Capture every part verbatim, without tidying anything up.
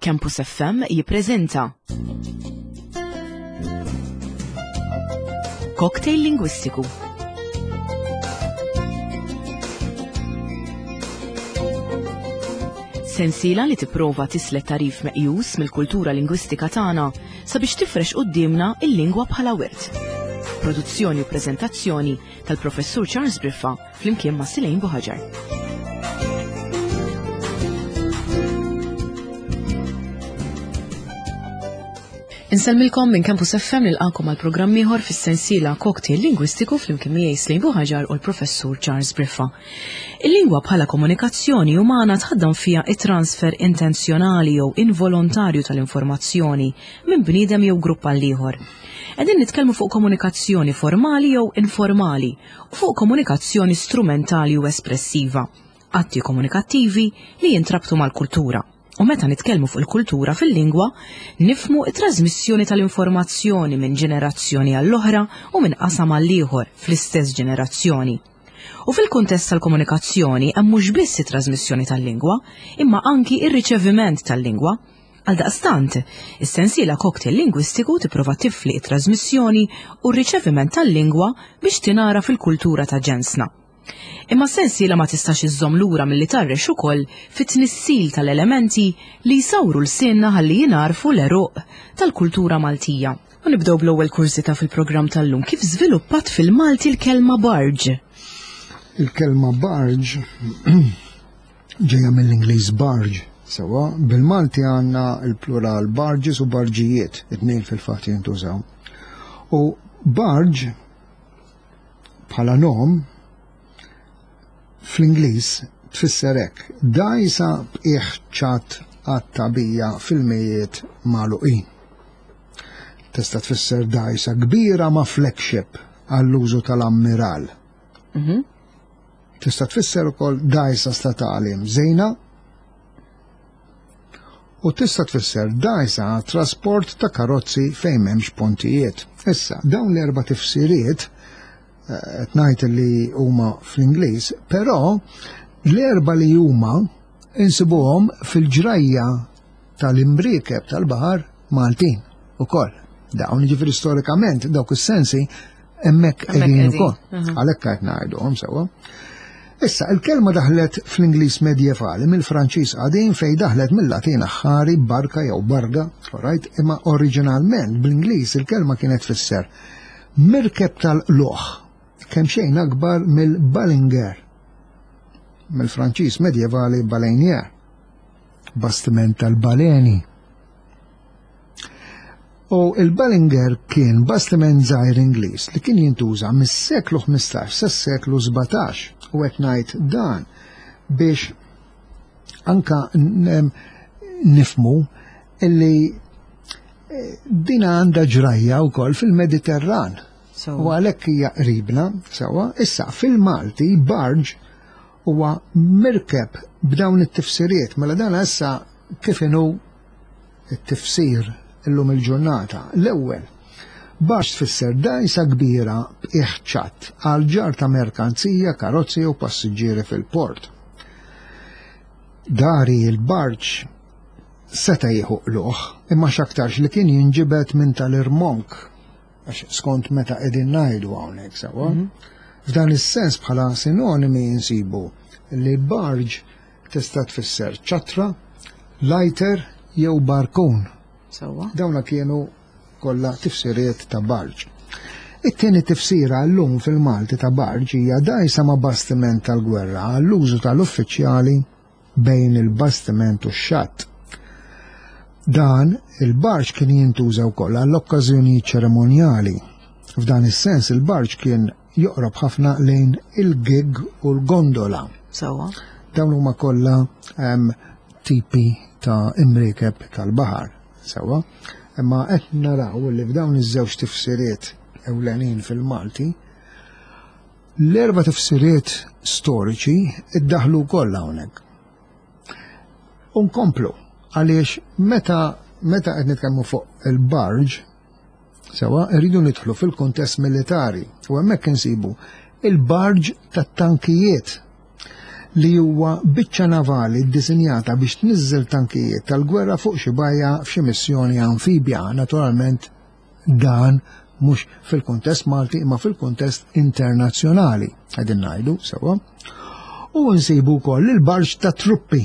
Campus F M jippreżenta Cocktail Lingwistiku. Sensiela li tipprova tislet tarif meqjus mill-kultura lingwistika tagħna sabiex tifrex quddiemna il-lingwa bħala wirt. Produzzjoni u preżentazzjoni tal-Professur Charles Briffa flimkien ma' Silejn Buħaġar. Insellmilkom minn Campus F M nilqakom għal programm ieħor fis-sensiela Cocktail Lingwistiku flimkien miegħi Silejn Buħaġar u l-Professur Charles Briffa. Il-lingwa bħala komunikazzjoni umana tħaddam fiha it-transfer intenzjonali jew involontarju tal-informazzjoni minn bniedem jew grupp għal ieħor. Qegħdin nitkellmu fuq komunikazzjoni formali jew informali u fuq komunikazzjoni strumentali u espressiva, atti komunikattivi li jintrabtu mal-kultura. U meta nitkellmu fuq il-kultura fil-lingwa, nifmu it-trasmissjoni tal-informazzjoni minn ġenerazzjoni għall-oħra u minn qasam għall-ieħor fl-istess ġenerazzjoni. U fil-kuntest tal-komunikazzjoni hemm mhux biss it-trasmissjoni tal-lingwa, imma anki ir-riċeviment tal-lingwa. Għaldaqstant, is-sensiela Cocktail Lingwistiku tipprova tifli it-trasmissjoni u r-riċeviment tal-lingwa biex tingħara fil-kultura ta' ġensna. Imma sensiela ma tistax iżżomm lura milli tarrex ukoll fit-tnissil tal-elementi li jsawru l-sinna ħalli jingħarfu l-għeruq tal-kultura Maltija. U nibdew bl-ewwel kursita fil-programm tal-lum, kif żviluppat fil-Malti l-kelma barge? Il-kelma barge ġejja mill-Ingliż barge, sewwa, bil-Malti għandna l-plural barges u barġijiet, it-tnejn fil-fatt jintużaw. U barge bħala nom fl-Ingliż tfisser hekk, dgħajsa b'qiegħ ċatt għat-tagħbija fil-mijiet magħluqin. Tista' tfisser dgħajsa kbira ma' flagship għall-użu tal-ammiral. Mhm. Tista' tfisser ukoll dgħajsa statali mżejna u tista' tfisser dgħajsa għat-trasport ta' karozzi fejn m'hemmx pontijiet. Issa, dawn l-erba' tifsiriet qed ngħid li huma fl-Ingliż, però l-erba' li huma insibuhom fil-ġrajja tal-imbriekeb tal-baħar Maltin ukoll. Dawn jiġifieri storikament dawk is-sensi hemmhekk Hemmhekk qegħdin qegħdin. ukoll. Aha. Għalhekk qed ngħiduhom sewwa. Issa, il-kelma daħlet fl-Ingliż medjevali mill-Franċiż qadim fejn daħlet mill-Latin aħħari barka jew barga, alright, imma oriġinalment bl-Ingliż il-kelma kienet tfisser mirkeb tal-qluħ, kemm xejn akbar mill-Balinger, mill-Franċiż medjevali baleinier, bastiment tal-baleni. U il-Balinger kien bastiment żgħir Ingliż li kien jintuża mis-seklu ħmistax sas-seklu sbatax, u qed ngħid dan biex anka n-, nifmu illi, eh, din għandha ġrajja wkoll fil-Mediterran. So. U għalhekk hija qribna sewwa. Issa fil-Malti barge huwa mirkeb b'dawn it-tifsiriet, mela dan issa kif inhu t-tifsir illum il-ġurnata. L-ewwel, barge tfisser dgħajsa kbira b'qiegħ ċatt għal ġarr ta' merkanzija, karozzi u passiġġieri fil-port. Dari il-barġ seta' jieħu qluħ, imma x'aktarx li kien jinġibed minn tal-irmonk, għax skont meta qegħdin ngħidu hawnhekk sewwa. Mhm. F'dan is-sens bħala sinonimi insibu li barge tista' tfisser ċatra, lighter jew barkun. Sewwa. Dawna kienu kollha tifsiriet ta' barge. It-tieni tifsira llum fil-Malti ta' barge hija dgħajsa ma' bastiment tal-gwerra għall-użu tal-uffiċjali bejn il-bastiment u x-xatt. Dan il-barġ kien jintuża wkoll għall-okkażjonijiet ċeremonjali. F'dan is-sens il-barġ kien joqrob ħafna lejn il-gig u l-gondola. Sewwa. Dawn huma kollha, ehm, tipi ta' imriekeb tal-baħar. Sewwa. Imma qed naraw li f'dawn iż-żewġ tifsiriet ewlenin fil-Malti, l-erba' tifsiriet storiċi iddaħlu wkoll hawnhekk. U nkomplu għaliex meta, meta qed nitkellmu fuq il-barge, sewwa, rridu nidħlu fil-kuntest militari u hemmhekk insibu il-barge tat-tankijiet. li huwa biċċa navali ddisinjata biex tniżżel tankijiet tal-gwerra fuq xi bajja f'xi missjoni amfibja. Naturalment dan mhux fil-kuntest Malti imma fil-kuntest internazzjonali, qegħdin ngħidu sewwa. U nsibu wkoll il-barge ta' truppi.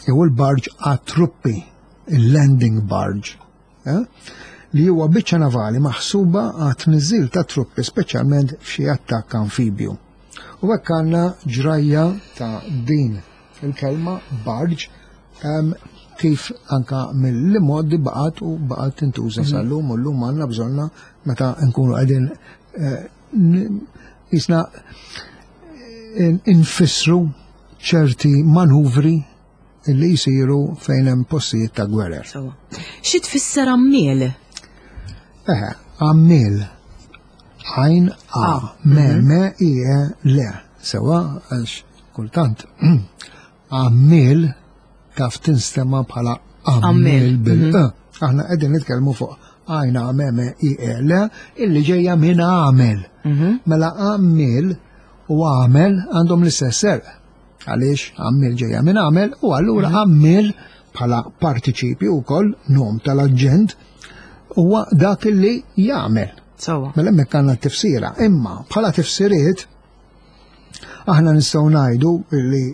Jew il-barge għat-truppi, il-landing barge. Eh? Li huwa biċċa navali maħsuba għat tniżżil ta' truppi, speċjalment f'xi attakk amfibju. U hekk għandna ġrajja ta' din il-kelma barge um, kif anka mill-modi baqgħet u baqgħet tintuża sal-lum, u llum għandna bżonna meta nkunu qegħdin eh, jisna infissru ċerti manuvri li jisiru fejn hemm postijiet ta' gwerer. Xi tfisser għammiel? Eħe, għammiel. Għajn A, me, me, i, e, le. Sewa, għax kultant. Għammiel taf tinstema bħala għammiel bil-e. Aħna qegħdin nitkellmu fuq għajn A, me, me, i, e, le, illi ġejja minn għamel. Mela għammiel u għamel għandhom l-istess serq. Għaliex għammiel ġejja minn għamel, u allura għammiel bħala partiċipju wkoll nom tal-aġent huwa dak li jagħmel. Sewwa. Mela hemmhekk għandna t-tifsira. Imma bħala tifsiriet aħna nistgħu ngħidu li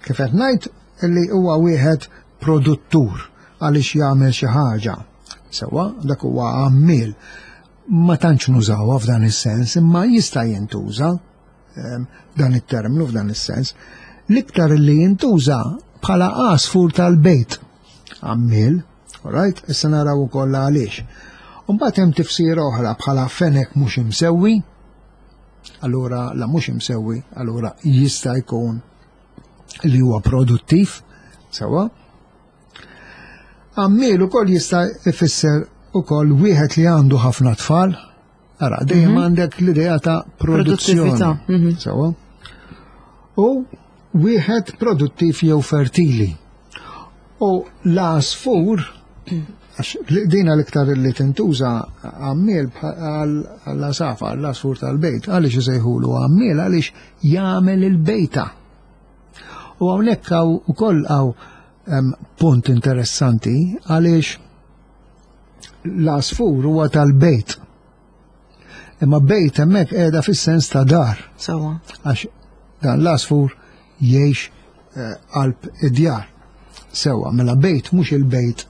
kif qed ngħid li huwa wieħed produttur għaliex jagħmel xi ħaġa. Sewwa, dak huwa għammiel. Ma tantx nużawha f'dan is-sens, imma jista' jintuża dan it-terminu f'dan is-sens. L-iktar li jintuża bħala għasfur tal-bejt. Għammiel, alright, issa naraw ukoll għaliex. Mbagħad hemm tifsira oħra bħala fenek mhux imsewwi. Allura la mhux imsewwi, allura jista' jkun li huwa produttiv, sewwa. Għammiel ukoll jista' ifisser ukoll wieħed li għandu ħafna tfal. Ara, dejjem għandek l-idea ta' produzzjoni. Produttività, mhm. Sewwa. U wieħed produttiv jew fertili. U l-għasfur, għax dina l-iktar li tintuża għammiel għall-għasafar, l-għasfur tal-bejt, għaliex isejħulu għammiel, għaliex jagħmel il-bejta. U hawnhekk hawn ukoll hawn em, punt interessanti għaliex l-għasfur huwa tal-bejt. Imma bejt hemmhekk qiegħda fis-sens ta' dar. Sewwa. Għax dan l-għasfur jgħix eh, qalb id-djar. Sewwa, mela bejt mhux il-bejt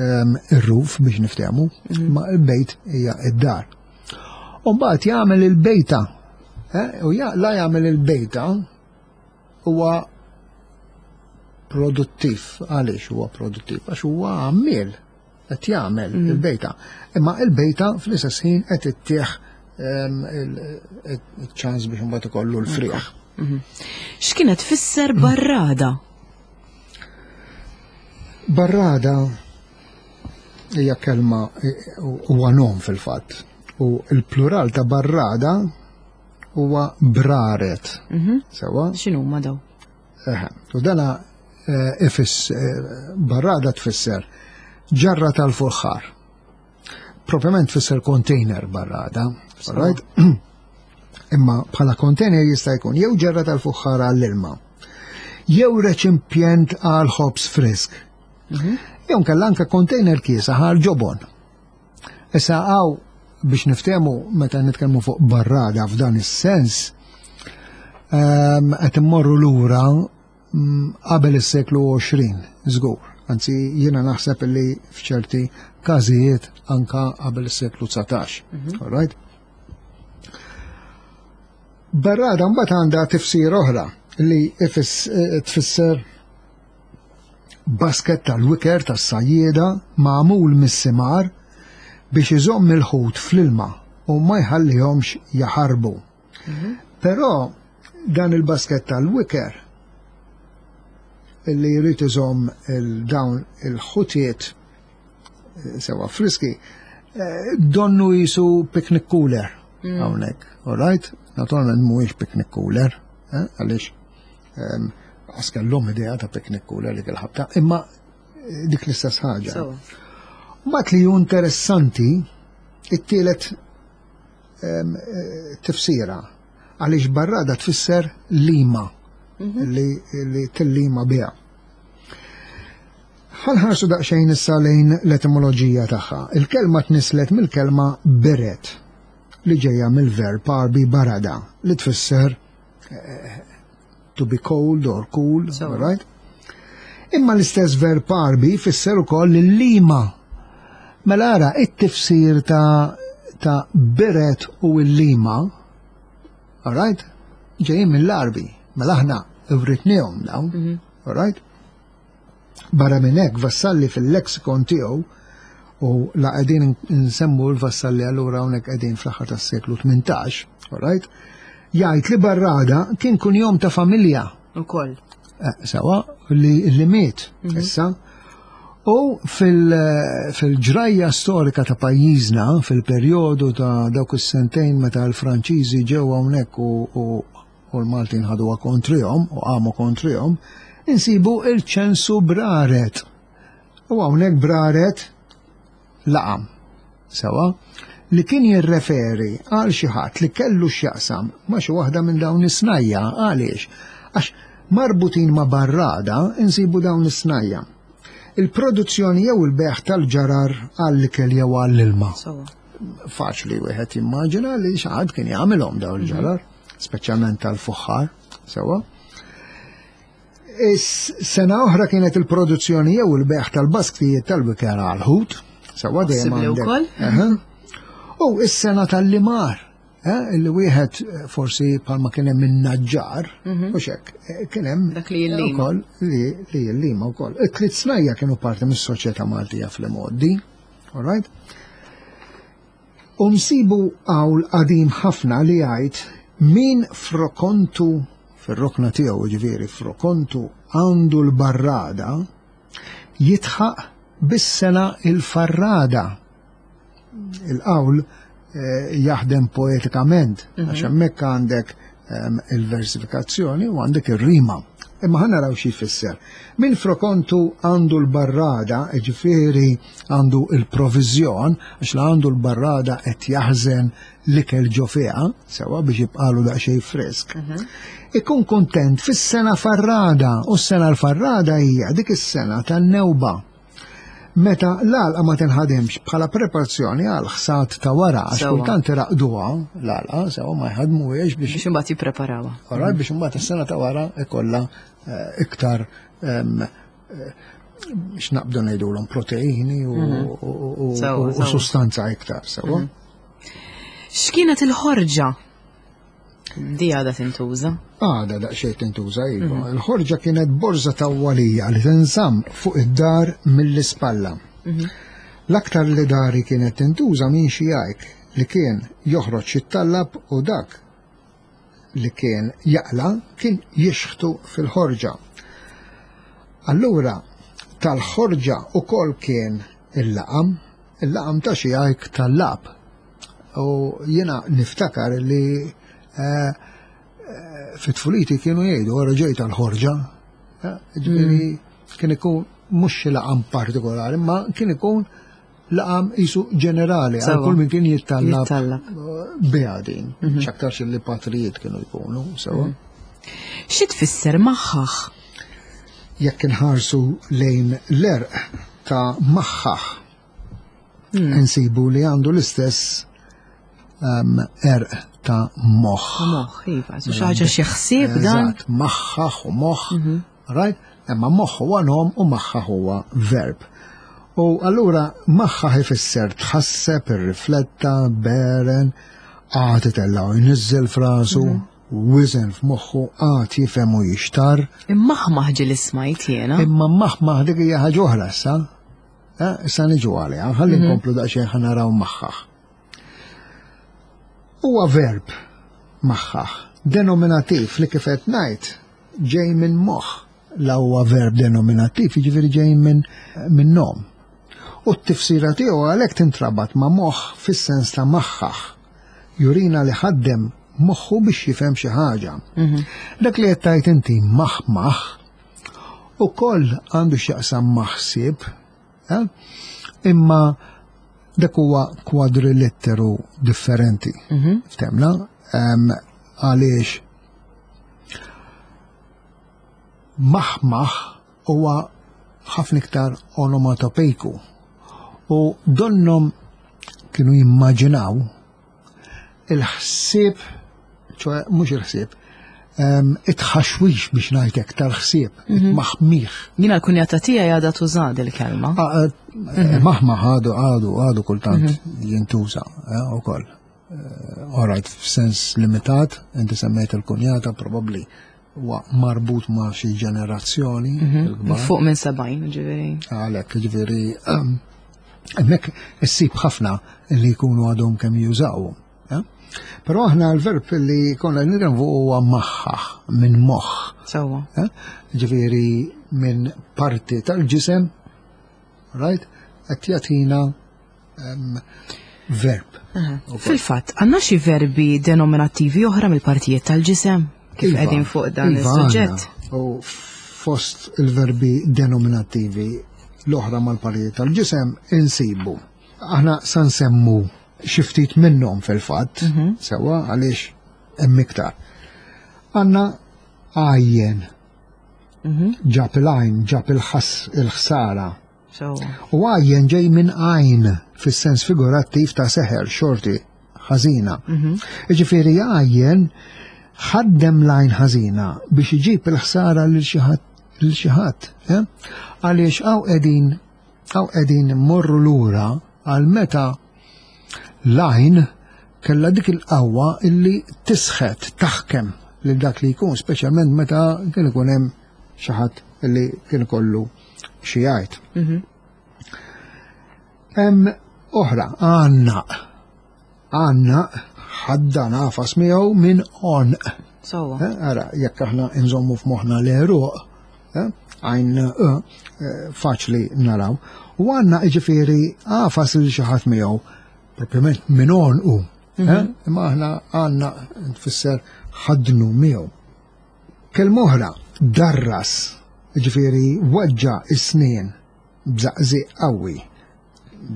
em, ir-roof biex niftehmu, ma il-bejt hija id-dar. U mbagħad jagħmel il-bejta. Eh, u ja, la jagħmel il-bejta huwa produttiv. Għaliex huwa produttiv? Għax huwa għammiel qed jagħmel il-bejta. Imma il-bejta fl-istess ħin qed ittieħ em, il- il-ċans biex imbagħad ikollu l-frieħ. X'kienet tfisser barrada? Barrada hija kelma huwa nom fil-fatt. U il-plural ta' barrada huwa braret. Sewwa? X'inhuma daw? Eħe. U dana eh, ifis eh, barrada tfisser ġarra tal-fuħħar. Proprjament tfisser container barrada, right? Imma bħala container jista' jkun jew ġarra tal-fuħħar għall-ilma, jew reċipjent għal ħobż frisk. Jew nkella anke container kiesaħ għal ġobon. Issa għaw biex niftehmu meta nitkellmu fuq barrada f'dan is-sens, ehm, qed immorru lura mm, qabel is-seklu għoxrin, żgur. Anzi, jiena naħseb li f'ċerti każijiet anka qabel is-seklu dsatax. All right? Barrada mbagħad għandha tifsir oħra li ifis- eh, tfisser basket tal-wiker tas-sajjieda magħmul mis-simar biex iżomm il-ħut fl-ilma u ma jħallihomx jaħarbu. Però dan il-basket tal-wiker illi jrid iżomm il-dawn il-ħutiet eh, sewa friski, eh, donnu jisu picnic cooler hawnhekk, all right? Naturalment mhuwiex picnic cooler, eh, għaliex ehm, għas kellhom idea ta' picnic cooler dik il-ħabta, imma eh, dik l-istess ħaġa. Sewwa. Mbagħad li hu interessanti, it-tielet ehm, eh, tifsira, għaliex barrada tfisser lima. li, li tillima biha. Ħa nħarsu daqsxejn issa lejn l-etimoloġija tagħha. Il-kelma tnislet mill-kelma beret li ġejja mill-verb Għarbi barada li tfisser eh, to be cold or cool, So. right? Imma l-istess verb Għarbi fisser ukoll il-lima. Mela ara, it-tifsir ta' ta' beret u l-lima, all right? Ġejjin mill-Għarbi. Mela aħna writniehom dawn, all right? Barra minn hekk Vassalli fil-lexikon tiegħu u la qegħdin nsemmu l-Vassalli allura hawnhekk qegħdin fl-aħħar tas-seklu tmintax, all right? Jgħid li Barrada kien kunjom ta' familja. Ukoll. Eh, Sewa li, li miet issa. U fil- fil-ġrajja storika ta' pajjiżna, fil-perjodu ta' dawk is-sentejn meta l-Franċiżi ġew hawnhekk u, u, u l-Maltin ħaduha kontrihom u qamu kontrihom, insibu il-ċensu Braret. U hawnhekk Braret laqam. Sewa, li kien jirreferi għal xi ħadd li kellu x'jaqsam ma' xi waħda minn dawn is-snajja għaliex? Għax marbutin ma' barrada insibu dawn is-snajja. Il-produzzjoni jew il-bejgħ tal-ġarar għall-ikel jew għall-ilma. Sewa. Faċli wieħed jimmaġina li xi ħadd kien jagħmilhom dawn il-ġarar, speċjalment tal-fuħħar, sewa. Is-sena oħra kienet il-produzzjoni jew il-bejgħ tal-basktijiet tal-wiker għal-ħut, sewa dejjem Possibbli għandek. wkoll. Aha. U is-sena tal-limar, eh, illi wieħed eh, forsi bħalma kien hemm in-naġġar, u xek, eh, kien hemm Dak li jillima. ukoll li li jillima wkoll. It-tliet snajja kienu parti mis-soċjetà Maltija fl-imgħoddi, all right? U nsibu qawl qadim ħafna li jgħid min frokontu fir-rokna tiegħu ġifieri frokontu għandu l-barrada jidħaq bis-sena il-farrada. Il-qawl eh, jaħdem poetikament, għax hemmhekk għandek em, il-versifikazzjoni u għandek ir-rima. Imma ħa naraw xi jfisser. Min frokontu għandu l-barrada, ġifieri għandu il-provizjon, għax la għandu l-barrada qed jaħżen l-ikel ġo fiha, sewa biex jibqalu daqsxejn frisk. Ikun kontent fis-sena farrada, u s-sena l-farrada hija dik is-sena tan-newba. Meta l-għalqa ma tinħadimx bħala preparazzjoni għal ħsad ta' wara, għax Sewa. kultant iraqduha l-għalqa, sewa ma jħadmuhiex biex Biex imbagħad jippreparawha. Alright, biex imbagħad is-sena ta' wara ikollha eh, iktar em, eh, x'naqbdu ngħidulhom proteini u, u, u, Sewa, u, u sewa. sustanza iktar, sewa. X'kienet il-ħorġa? Di għadha tintuża. Għada daqsxejn tintuża iva. Il-ħorġa kienet borża tawwalija li tinżamm fuq id-dar mill-ispalla. L-aktar li dari kienet tintuża minn xi jgħid li kien joħroġ jittallab u dak li kien jaqla kien jixħtu fil-ħorġa. Allura tal-ħorġa ukoll kien il-laqam, il-laqam ta' xi jgħid tal-lab. U jiena niftakar li eh, fit-tfuliti kienu jgħidu għara ġej tal-ħorġa. Eh, Ġifieri kien ikun mhux xi laqam partikolari, ma kien ikun laqam isu ġenerali għal Sewa. kull min kien jittallab Jittallab. biha din. X'aktarx li patrijiet kienu jkunu, sewa. Xi tfisser maħħaħ? Jekk inħarsu lejn l-għerq ta' maħħaħ, insibu li għandu l-istess um, għerq ta' moħħ. Moħħ, iva, su xi ħaġa xi ħsieb dan. Eżatt, maħħaħ u moħħ, right? Imma moħħ huwa nom u maħħaħ huwa verb. U allura maħħaħ ifisser tħasseb, irrifletta, beren, għad itella' u jniżżel frasu, wizen f'moħħu, għad jifhem u jixtar. Immaħmaħ ġieli smajt jiena. Imma maħmaħ dik hija ħaġa oħra issa. Eh, Issa niġu għaliha, ħalli nkomplu daqsxejn ħa naraw maħħaħ. Huwa verb maħħaħ, denominativ li kif qed ngħid ġej minn moħħ. La huwa verb denominativ, jiġifieri ġej minn minn nom. U t-tifsira tiegħu għalhekk tintrabat ma' moħħ fis-sens ta' maħħaħ. Jurina li ħaddem moħħu biex jifhem xi ħaġa. Dak li qed tgħid inti maħmaħ ukoll għandu x'jaqsam maħsieb, eh? Imma dak huwa kwadrilitteru differenti. Ftemna? Em, Għaliex Maħmaħ huwa ħafna iktar onomatopeiku u donnom kienu jimmaġinaw il-ħsieb, ċoè mhux il-ħsieb, it-ħaxwix biex ngħidlek tal-ħsieb, it-maħmiħ. Jiena l-kunjata tiegħi għadha tuża il-kelma. Ah, eh, Maħmaħ għadu għadu għadu kultant jintuża eh, ukoll. All right, f'sens limitat, inti semmejt il-kunjata, probabbli huwa marbut ma' xi ġenerazzjoni il-kbar. Fuq minn sebgħin, ġifieri. Għalhekk, ġifieri, hemmhekk issib ħafna li jkunu għadhom kemm jużaw. eh? Però aħna l-verb li konna nitkellmu huwa maħħaħ minn moħħ. Sewwa. eh? Ġifieri minn parti tal-ġisem, right? Qed jagħtina em, verb. Fil-fatt, għandna xi verbi denominattivi oħra mill-partijiet tal-ġisem kif Iva, qegħdin fuq dan iva, is-suġġett. għandna. U fost il-verbi denominattivi l-oħra mal-partijiet tal-ġisem insibu. Aħna sa nsemmu xi ftit minnhom fil-fatt, Mhm. sewwa għaliex hemm iktar. Għandna għajjen, Mhm. ġab il-għajn, ġab il-ħas il-ħsara. Sewwa. U għajjen ġej minn għajn fis-sens figurattiv ta' seħer, xorti, ħażina. Ġifieri għajjen ħaddem l-għajn ħażina biex iġib il-ħsara lil xi ħadd lil xi ħadd, eh? Għaliex hawn qegħdin hawn qegħdin mmorru lura għal meta l-għajn kellha dik il-qawwa illi tisħet, taħkem lil dak li jkun, speċjalment meta kien ikun hemm xi ħadd illi kien ikollu xi jgħid. Hemm oħra, għannaq. Għannaq ħaddan għafas miegħu minn għonq. Sewwa. Eh, Ara, jekk aħna nżommu f'moħħna l-għeruq, eh, għajn eh, eh, faċli naraw. U għandna ġifieri għafas lil xi ħadd miegħu, propjament minn għonqu. eh, Imma aħna għandna tfisser ħadnu miegħu. Kelma oħra, darras, ġifieri weġġa' is-snien b'żaqżiq qawwi.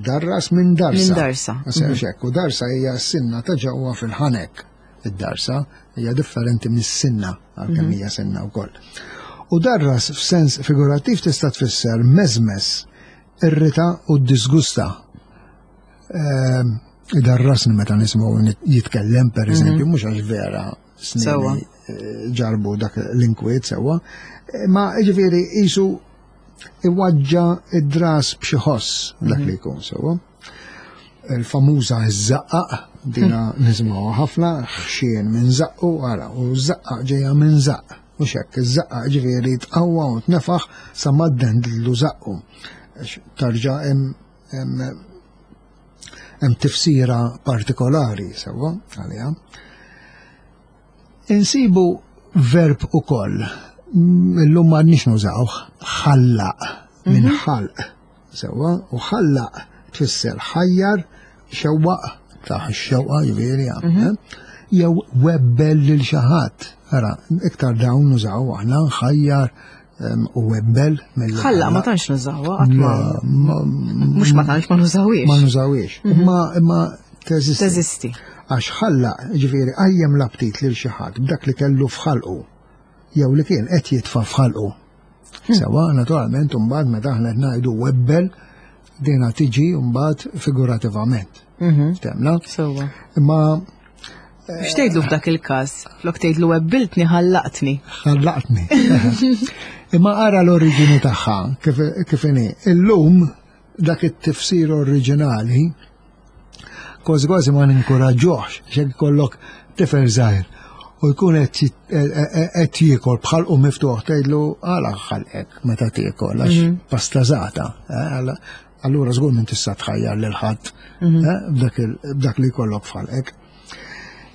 Darras minn darsa. Minn darsa. Ma hekk, u darsa hija s-sinna ta' ġewwa fil-ħanek. Id-darsa hija differenti mis-sinna, għalkemm hija sinna wkoll. U darras f'sens figurattiv tista' tfisser meżmes, irrita u disgusta. Ehm, Darrasni meta nismgħu jitkellem per eżempju, mhux għax vera Sewwa. snini eh, ġarbu dak l-inkwiet sewwa, Eh, ma ġifieri qisu iweġġa' id-dras b'xi ħoss dak li jkun sewwa. Il-famuża żaqqaq, dina nisimgħuha ħafna, ħxien minn żaqqu, ara, u żaqqaq ġejja minn żaqq. U xekk, iż-żaqqaq ġifieri tqawwa u tnefaħ sa maddendlu żaqqu. Għax tarġa' hemm hemm hemm tifsira partikolari sewwa għaliha. Insibu verb ukoll, illum m'għadniex nużawh, ħallaq minn ħalq. Sewwa, u ħallaq tfisser ħajjar, xewwaq, ta' xewqa ġifieri, eh? Jew webbel lil xi ħadd. Ara, iktar dawn nużaw aħna ħajjar em, u webbel mill Ħallaq ma tantx nużawha, qatt ma. Ma- Mhux ma tantx ma nużawhiex. ma nużawiex. Imma imma teżisti. Teżisti. Għax ħallaq, ġifieri, qajjem l-aptit lil xi ħadd b'dak li kellu f'ħalqu jew li kien qed jitfa' f'ħalqu. Sewwa, naturalment, mbagħad meta aħna qed ngħidu webbel, dina tiġi mbagħad figurativament. Ftemna? Sewwa. Imma X'tgħidlu f'dak il-każ? Flok tgħidlu webbiltni ħallaqtni. ħallaqtni. Imma ara l-oriġini tagħha kif kif inhi. Illum dak it-tifsir oriġinali kważi kważi ma ninkoraġġuhx x'hekk ikollok tifel żgħir u jkun qed jit- e- e- qed jiekol b'ħalqu miftuħ tgħidlu għala ħalqek meta tiekol għax pastażata. eh, għala- Allura żgur minn tista' tħajjar lil ħadd eh, b'dak il- b'dak li jkollok f'ħalqek.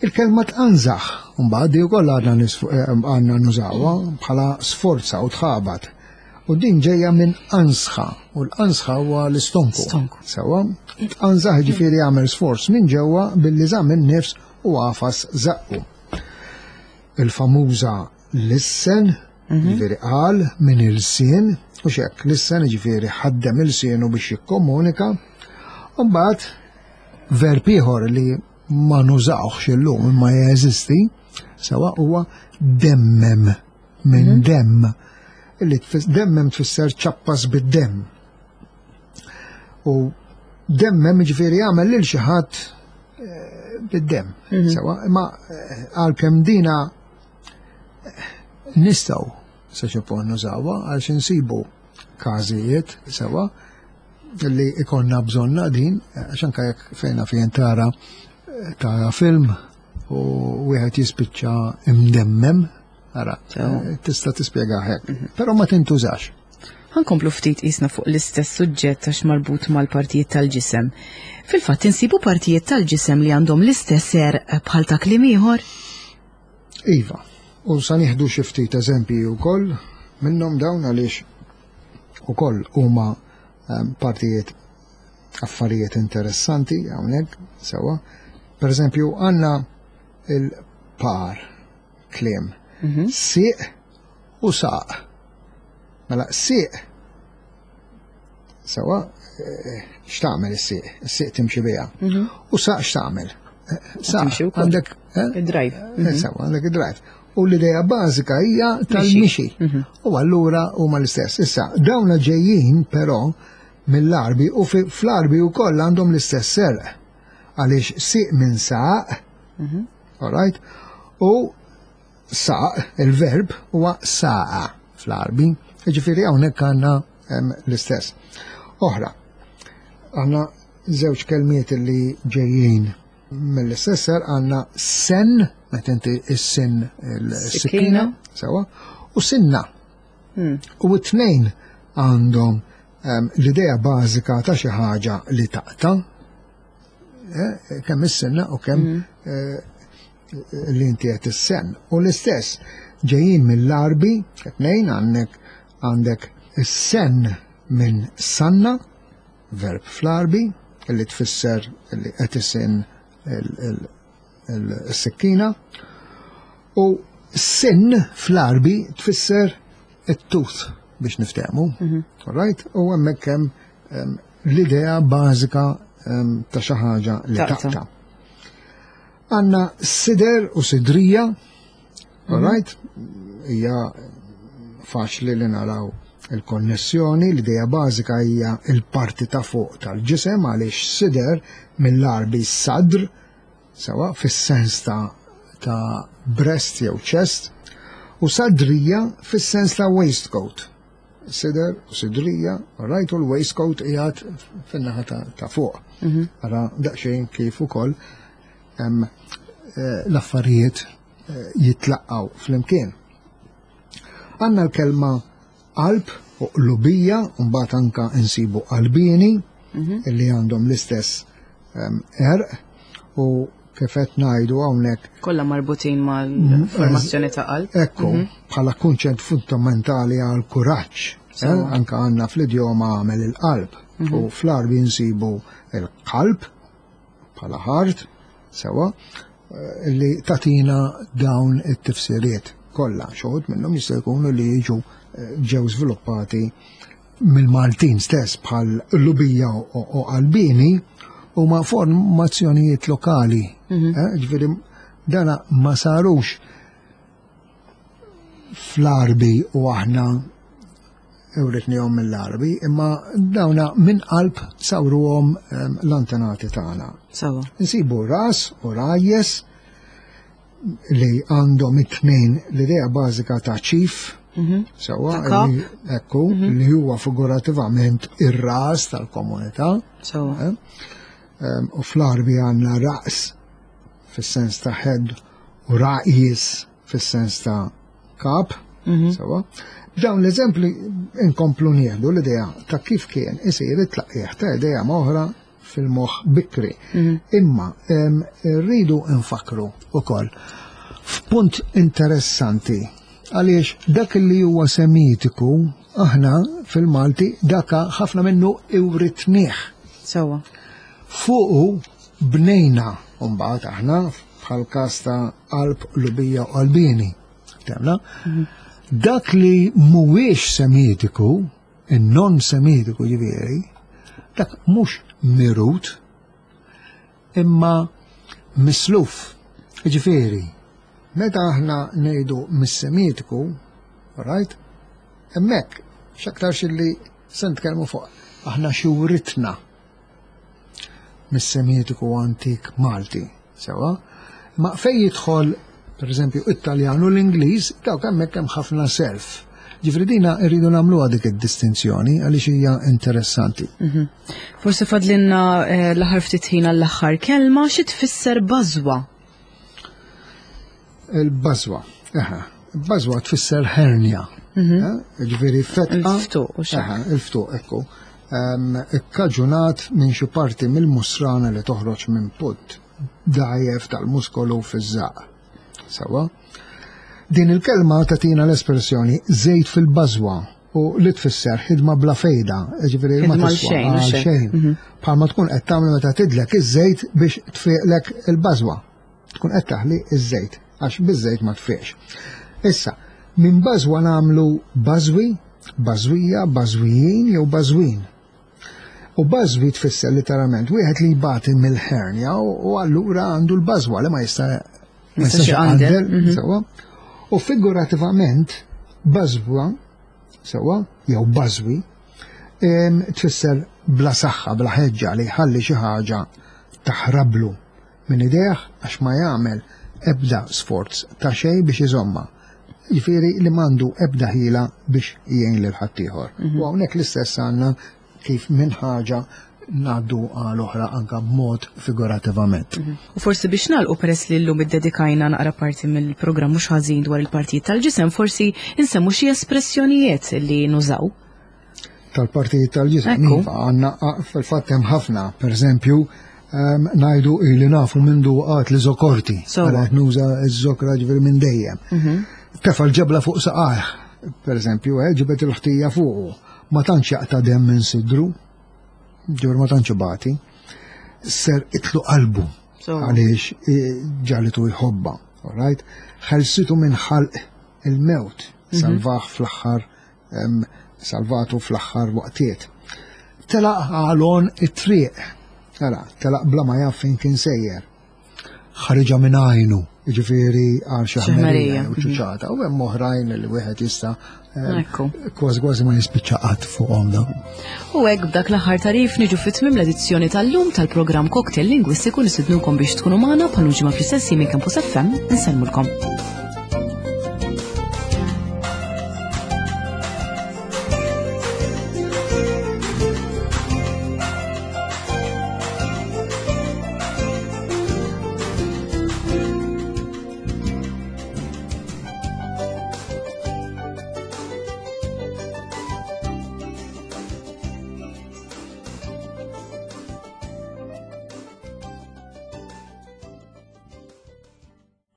Il-kelma tqanżaħ, mbagħad di wkoll għadna nisfu- eh, għandna nużawha bħala sforza u tħabat. U din ġejja minn ansħa, u l-ansħa huwa l-istonku. Stonku. Sewwa, tqanżaħ ġifieri jagħmel sforz minn ġewwa billi żamm in-nifs u għafas żaqqu. Il-famuża lissen, ġifieri qal minn il-sien, u xek, lissen ġifieri ħaddem il-sienu biex jikkomunika, u mbagħad verb ieħor li ma nużawx illum imma jeżisti, sewwa huwa demmem minn demm. Illi demmem tfisser ċappas bid-demm. U demmem ġifieri għamel lil xi ħadd bid-demm. Sewa, imma għalkemm dina nistgħu sa xi punt nużawha għaliex insibu każijiet sewa li ikonna bżonna din, għax anke jekk fejna fejn tara tara film u wieħed jispiċċa imdemmem, ara, tista' tispjega hekk, però ma tintużax. Ħa nkomplu ftit isna fuq l-istess suġġett għax marbut mal-partijiet tal-ġisem. Fil-fatt insibu partijiet tal-ġisem li għandhom l-istess għerq bħal ta' kliem ieħor? Iva, u sa nieħdu xi ftit eżempji wkoll minnhom dawn għaliex ukoll huma partijiet affarijiet interessanti hawnhekk sewwa. Per eżempju, għandna il-par kliem. Sieq u saq. Mela sieq sewwa x'tagħmel is-sieq? Is-sieq timxi biha. U saq x'tagħmel? Saq għandek id-drive. Sewwa għandek id-drive. U l-idea bażika hija tal-mixi. U allura huma l-istess. Issa, dawna ġejjin però mill-Għarbi u fl-Għarbi wkoll għandhom l-istess għerq. Għaliex sieq minn saq, all right? U saq, il-verb, huwa saqa fl-Għarbi. Ġifieri hawnhekk għandna l-istess. Oħra, għandna żewġ kelmiet li ġejjin mill-istess għerq, għandna sen, meta inti is-sin il-sikkina, sewa, u sinna. U t-tnejn għandhom l-idea bażika ta' xi ħaġa li taqta, kemm is-sinna u kemm li inti qed is-sen. U l-istess ġejjin mill-Għarbi, tnejn għandek għandek is-sen minn sanna, verb fl-Għarbi, li tfisser li qed isin il-sikkina, u sin fl-Għarbi tfisser it-tooth biex niftehmu. All right? U hemmhekk hemm l-idea bażika ta' xi ħaġa li taqta'. Għandna sider u sidrija, all right? Hija faċli li naraw il-konnessjoni, l-idea bażika hija il-parti ta' fuq tal-ġisem għaliex sider mill-Għarbi sadr, sewa fis-sens ta' ta' breast jew chest, u sadrija fis-sens ta' waistcoat. Sider u sidrija, all right, u l-waistcoat qiegħed fin-naħa ta' fuq. Ara daqsxejn kif ukoll l-affarijiet jitlaqqaw flimkien. Għandna l-kelma qalb u qlubija, u mbagħad anka insibu qalbini illi għandhom l-istess għerq, u kif qed ngħidu hawnhekk kollha marbutin mal-formazzjoni ta' qalb. Ekku, bħala kunċett fundamentali għal kuraġġ. Anka għandna fl-idjoma għamel il-qalb. U fl-Għarbi nsibu il-qalb bħala heart, sewa, li tatina dawn it-tifsiriet kollha. Xi wħud minnhom jista' jkunu li jiġu ġew żviluppati mill-Maltin stess bħal lubija u qalbini huma formazzjonijiet lokali. Ġifieri dana ma sarux fl-Għarbi u aħna ewritnihom mill-Għarbi, imma dawna minn qalb sawruhom l-antenati tagħna. Sawa. Nsibu ras u rajjes li għandhom it-tnejn l-idea bażika ta' chief, sewa, ekku, li huwa figurativament ir-ras tal-komunità. Sawa. U fl-Għarbi għandna raqs fis-sens ta' head u raqis fis-sens ta' kap, sewa. Dawn l-eżempli inkomplu nieħdu l-idea ta' kif kien isir it-tlaqqieħ ta' idea oħra fil-moħħ bikri. Imma rridu nfakru ukoll f'punt interessanti għaliex dak li huwa semitiku aħna fil-Malti daka ħafna minnu iwritnieh. Sewa. Fuqu bnejna mbagħad aħna bħal każ ta' qalb, lubija u qalbini. Temna? Dak li mhuwiex semitiku, in-non semitiku ġifieri, dak mhux mirut, imma misluf. Ġifieri, meta aħna ngħidu mis-semitiku, right, Hemmhekk x'aktarx li se nitkellmu fuq aħna xi writna mis-Semitiku antik Malti, sewa. Ma fej jidħol, per eżempju, Italjan u l-Ingliż, dawk hemmhekk hemm ħafna self. Ġifieri dina rridu nagħmluha dik id-distinzjoni għaliex hija interessanti. Mhm. Forsi fadlinna eh, l-aħħar ftit ħin għall-aħħar kelma, xi tfisser bażwa? Il-bażwa, eħe, bażwa tfisser hernia. Mhm. Eh, ġifieri fetqa. Il-ftuq u xi. Il-ftuq, ekku. Ikkaġunat minn xi parti mill-musrana li toħroġ minn punt dgħajjef tal-muskolu fiż-żaq. Sewa? Din il-kelma tagħtina l-espressjoni żejt fil-bażwa u li tfisser ħidma bla fejda, ġifieri ma tiswa għal xejn. Mhm. Bħalma tkun qed tagħmel meta tidlek iż-żejt biex tfiqlek il-bażwa. Tkun qed taħli iż-żejt għax biż-żejt ma tfiqx. Issa, minn bażwa nagħmlu bażwi, bażwija, bażwijin jew bażwin. U bażwi tfisser literalment wieħed li jbati mill-hernja u allura għandu l-bażwa li ma jista' ma jistax iqandel, mhm. sewwa. U figurativament bażwa sewwa jew bażwi tfisser bla saħħa, bla ħeġġa li jħalli xi ħaġa taħrablu minn idejh għax ma jagħmel ebda sforz ta' xejn biex iżomma. Ġifieri li m'għandu ebda ħila biex jgħin lil ħaddieħor. Mhm. U hawnhekk l-istess għandna kif minn ħaġa ngħaddu għal oħra anka b'mod figurativament. Mhm. U forsi biex nagħlqu, peress li llum iddedikajna naqra parti mill-programm mhux ħażin dwar il-partijiet tal-ġisem, forsi insemmu xi espressjonijiet li nużaw. Tal-partijiet tal-ġisem. Iva, għandna fil-fatt hemm ħafna, pereżempju, ehm, ngħidu li nafu mindu għat li zokorti. Għala nuża z-zokra ġifieri minn dejjem. Mhm. Tefa' l-ġebla fuq saqajh, pereżempju, eh, ġibet il-ħtija fuqu. Ma tantx jaqta' demm minn sidru, ġifieri ma tantx ibati, ser itlu qalbu għaliex eh, ġalitu jħobba, alright? Ħelsitu minn ħalq il-mewt, mhm. salvaħ fl-aħħar salvatu fl-aħħar waqtiet. Telaq għalon it-triq, ara, telaq bla ma jaf fejn kien sejjer. Ħariġa minn għajnu, jiġifieri għal xi ħmerija u ċuċata, u hemm oħrajn li wieħed jista' eh, kważi kważi ma jispiċċa qatt fuqhom dawn. U hekk b'dak l-aħħar tarif niġu fi tmiem l-edizzjoni tal-lum tal-programm Cocktail Lingwistiku. Nistednukom biex tkunu magħna bħal ġimgħa fl-istess minn Campus F M. Insellmulkom.